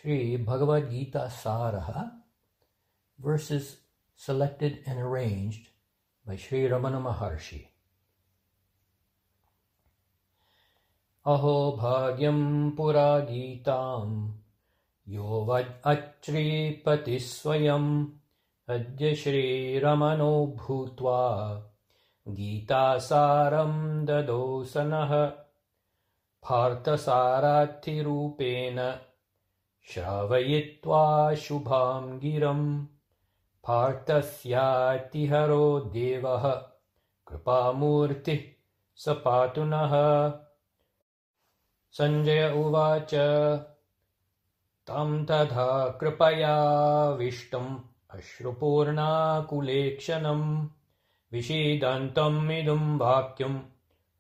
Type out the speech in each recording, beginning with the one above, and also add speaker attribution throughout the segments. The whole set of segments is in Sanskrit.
Speaker 1: Shri Bhagavad Gita Saraha, verses selected and arranged by Shri Ramana Maharshi. Aho bhagyam pura gitam yo vad achripati swayam adya Shri Ramano bhutva Gita saram dadosanah Partha sarathi rupena Shravayitva shubham giram Parthasya haro devah Kripamurti sapatunah. Sanjaya uvacha tam tadha kripaya vishtam ashrupurna kulekshanam vishidantam idum bhakyam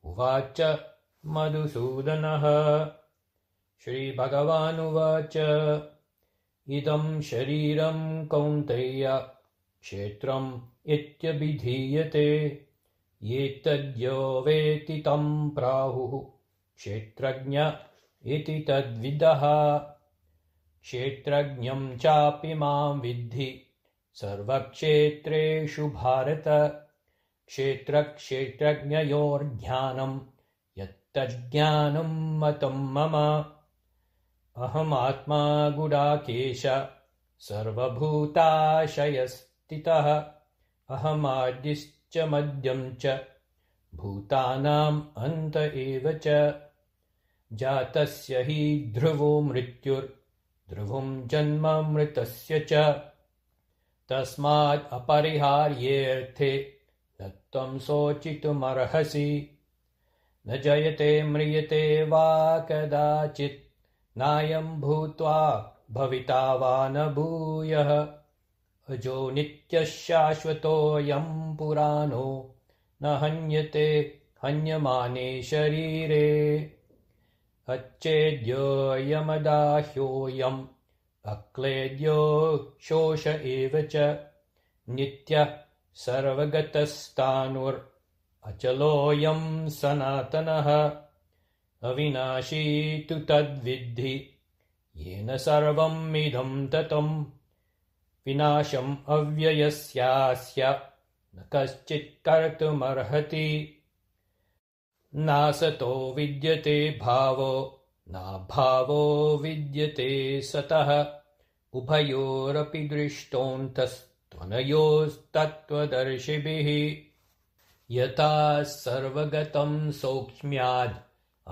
Speaker 1: uvacha madhusudanah. Shri Bhagavan uvacha idam shariram kaunteya kshetram ityabhidhiyate yetadyo veti tam prahuh kshetrajña iti tadvidaha kshetrajñam chapi mam vidhi sarvakshetreshu bharata kshetrajñayor jnanam yattajnanam matam mama aham atma gudakesha sarvabhutashayastitah aham adischa madhyam cha bhutanam anta eva cha jatasya hi dhruvo mrityur dhruvom janma mritasya cha tasmad apariharyerthe nattam sochitum arhasi na jayate mriyate va kadachit nayam bhutva bhavita va na bhuyah ajo nitya shashvato yam purano na hanyate hanyamane sharire अच्छेद्यो यमदाह्योऽयम् अक्लेद्यो शोष एव च नित्यः सर्वगतस्तानुर् अचलोऽयम् सनातनः अविनाशी तु तद्विद्धि येन सर्वम् इदम् ततम् विनाशम् अव्ययस्यास्य न कश्चित् कर्तुमर्हति नासतो विद्यते भावो नाभावो विद्यते सतः उभयोरपि दृष्टोऽन्तस्त्वनयोस्तत्त्वदर्शिभिः यथा सर्वगतं सौक्ष्म्याद्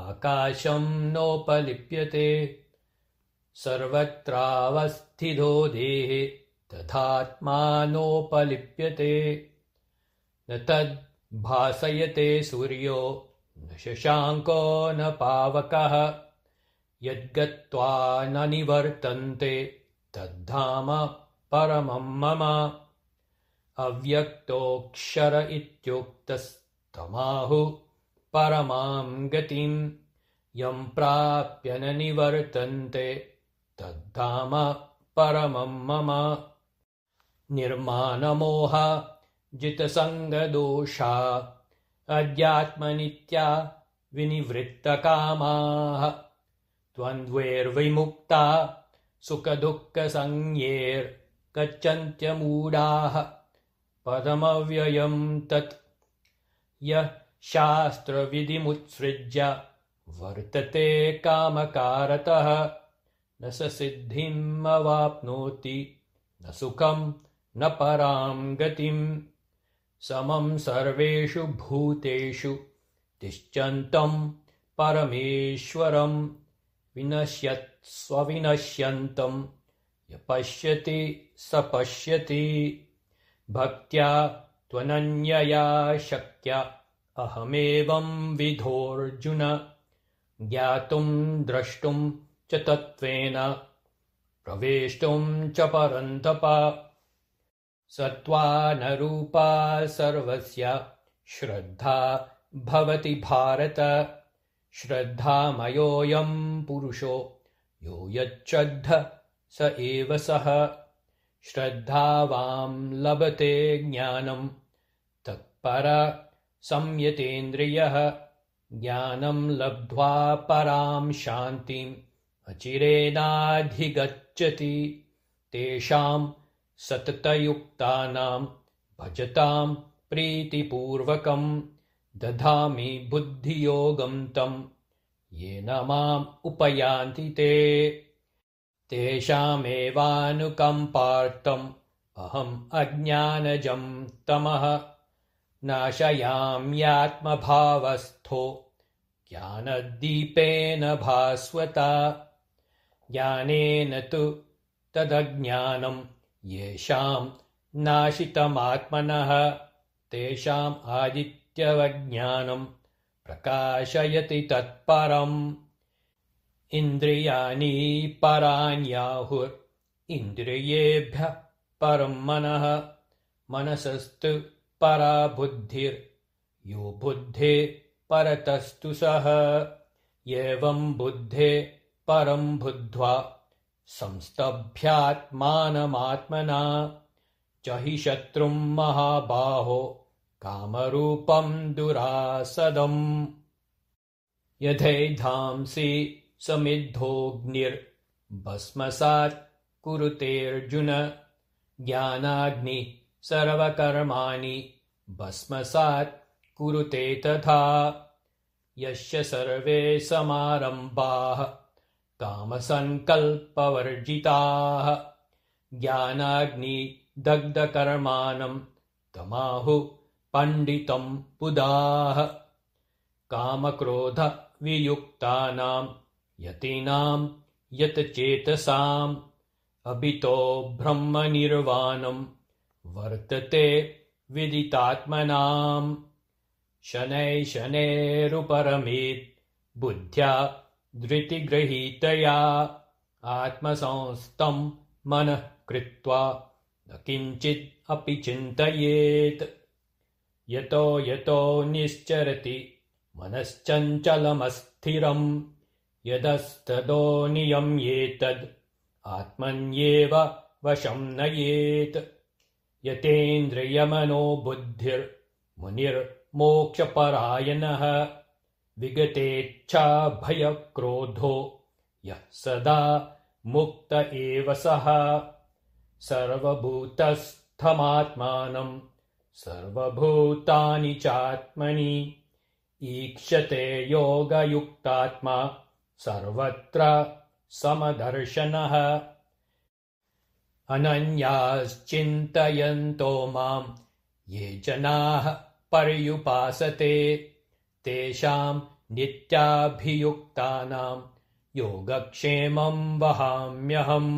Speaker 1: आकाशं नोपलिप्यते सर्वत्रावस्थितो देहे तथात्मानोपलिप्यते न तद् भासयते सूर्यो न शशाङ्को न पावकः यद्गत्वा न निवर्तन्ते तद्धाम परमं मम अव्यक्तोऽक्षर इत्युक्तस्तमाहुः परमां गतिं यं प्राप्य न निवर्तन्ते तद्धाम परमं मम निर्मानमोह जितसङ्गदोषा अध्यात्मनित्या विनिवृत्तकामाः द्वन्द्वैर्विमुक्ता सुखदुःखसंज्ञैर्गच्छन्त्यमूढाः पदमव्ययम् तत् यः शास्त्रविधिमुत्सृज्य वर्तते कामकारतः न स सिद्धिम् अवाप्नोति न सुखम् न परां गतिम् समं सर्वेषु भूतेषु तिष्ठन्तम् परमेश्वरम् विनश्यत्स्वविनश्यन्तम् य पश्यति स पश्यति भक्त्या त्वनन्यया शक्य अहमेवं विधोऽर्जुन ज्ञातुं द्रष्टुं च तत्त्वेन प्रवेष्टुं च परन्तप सत्त्वानरूपा सर्वस्य श्रद्धा भवति भारत श्रद्धामयोऽयं पुरुषो यो यच्छ्रद्ध स एव सः श्रद्धावां लभते ज्ञानं तत्पर संयतेन्द्रियः ज्ञानं लब्ध्वा परां शान्तिम् अचिरेणाधिगच्छति तेषां सततयुक्तानां भजतां प्रीतिपूर्वकं दधामि बुद्धियोगं तं येन माम् उपयान्ति ते तेषामेवानुकम्पार्थम् अहम् अज्ञानजं तमः नाशयाम्यात्मभावस्थो ज्ञानदीपेन भास्वता ज्ञानेन तु तदज्ञानं येषां नाशितमात्मनः तेषाम् आदित्यवज्ञानं प्रकाशयति तत्परम् इन्द्रियाणि पराण्याहुर् इन्द्रियेभ्यः परं मनः मनसस्तु परा बुद्धिर् यो बुद्धे परतस्तु सः एवं बुद्धे परं बुद्ध्वा संस्तभ्यात्मानमात्मना जहि शत्रुं महाबाहो कामरूपं दुरासदम् यथैधांसि समिद्धोऽग्निर्भस्मसात् कुरुतेऽर्जुन ज्ञानाग्निः सर्वकर्माणि भस्मसात् कुरुते तथा यस्य सर्वे समारम्भाः कामसङ्कल्पवर्जिताः ज्ञानाग्निदग्धकर्माणं तमाहुः पण्डितं बुधाः कामक्रोधवियुक्तानां यतीनां यतचेतसाम् अभितो ब्रह्मनिर्वाणं वर्तते विदितात्मनाम् शनैः शनैरुपरमेत् बुद्ध्या धृतिगृहीतया आत्मसंस्थं मनः कृत्वा न किञ्चित् अपि चिन्तयेत् यतो यतो निश्चरति मनश्चञ्चलमस्थिरम् यदस्तदो नियम्येतद् आत्मन्येव वशं नयेत् यतेन्द्रियमनो बुद्धिर्मुनिर्मोक्षपरायणः विगतेच्छाभयक्रोधो यः सदा मुक्त एव सः सर्वभूतस्थमात्मानं सर्वभूतानि चात्मनि ईक्षते योगयुक्तात्मा सर्वत्र समदर्शनः अनन्याश्चिन्तयन्तो मां ये जनाः पर्युपासते तेषां नित्याभियुक्तानां योगक्षेमं वहाम्यहम्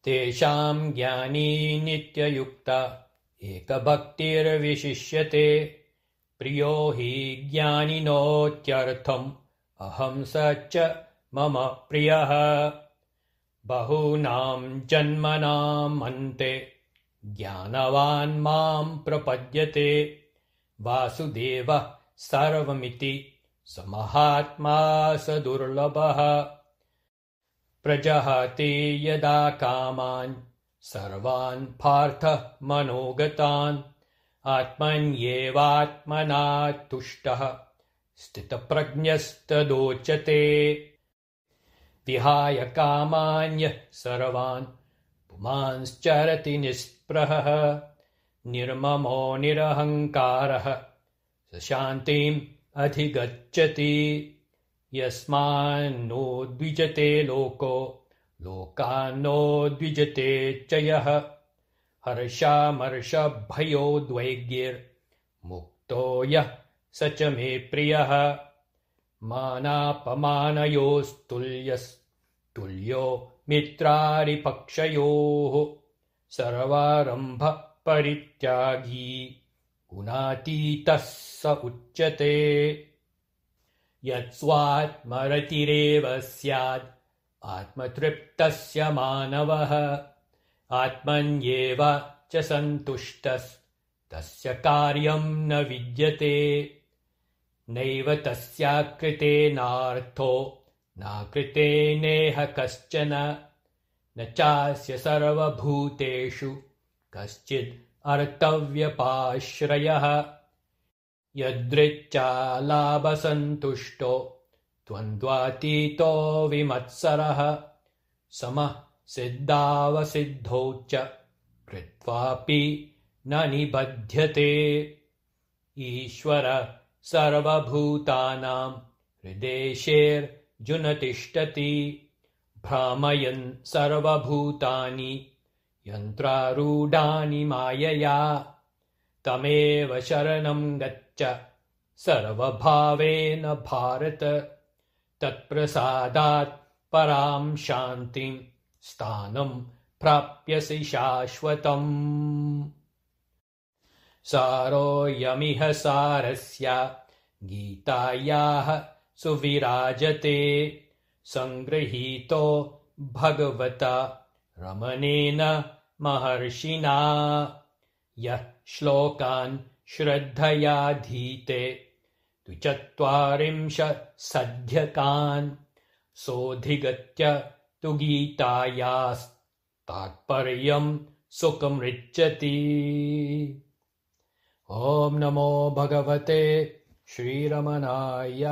Speaker 1: तेषां ज्ञानी नित्ययुक्ता एकभक्तिर्विशिष्यते प्रियो हि ज्ञानिनोत्यर्थम् अहं स च मम प्रियः बहूनां जन्मनाम् अन्ते ज्ञानवान् मां प्रपद्यते वासुदेवः सर्वमिति स महात्मा स दुर्लभः प्रजहाति यदा कामान् सर्वान् पार्थः मनोगतान् आत्मन्येवात्मना तुष्टः स्थितप्रज्ञस्तदोच्यते विहाय कामान्यः सर्वान् पुमांश्चरति निःस्पृहः निर्ममो निरहङ्कारः स शान्तिम् अधिगच्छति यस्मान्नो द्विजते लोको लोकान्नो द्विजते च यः हर्षामर्षभयोद्वेगैर्मुक्तो यः स च मे प्रियः मानापमानयोस्तुल्यो मित्रारिपक्षयोः सर्वारम्भ परित्यागी गुणातीतः स उच्यते यत्स्वात्मरतिरेव स्यात् आत्मतृप्तस्य मानवः आत्मन्येव च सन्तुष्टस्तस्य कार्यं न विद्यते नैव तस्याकृतेनार्थो नाकृतेनेह कश्चन न चास्य सर्वभूतेषु कश्चिद् अर्थव्यपाश्रयः यदृच्छालाभसन्तुष्टो द्वन्द्वातीतो विमत्सरः समः सिद्धावसिद्धौ च कृत्वापि न निबध्यते ईश्वर सर्वभूतानां हृदेशेऽर्जुन तिष्ठति भ्रामयन् सर्वभूतानि यन्त्रारूढानि मायया तमेव शरणं गच्छ सर्वभावेन भारत तत्प्रसादात् परां शान्तिं स्थानं प्राप्यसि शाश्वतम् सारोऽयमिह सारस्य गीतायाः सुविराजते सङ्गृहीतो भगवता रमणेन महर्षिणा यः श्लोकान् श्रद्धयाधीते द्विचत्वारिंशदध्यायान् सोऽधिगत्य तु गीतायास्तात्पर्यं सुखमृच्छति। ॐ नमो भगवते श्रीरमणाय।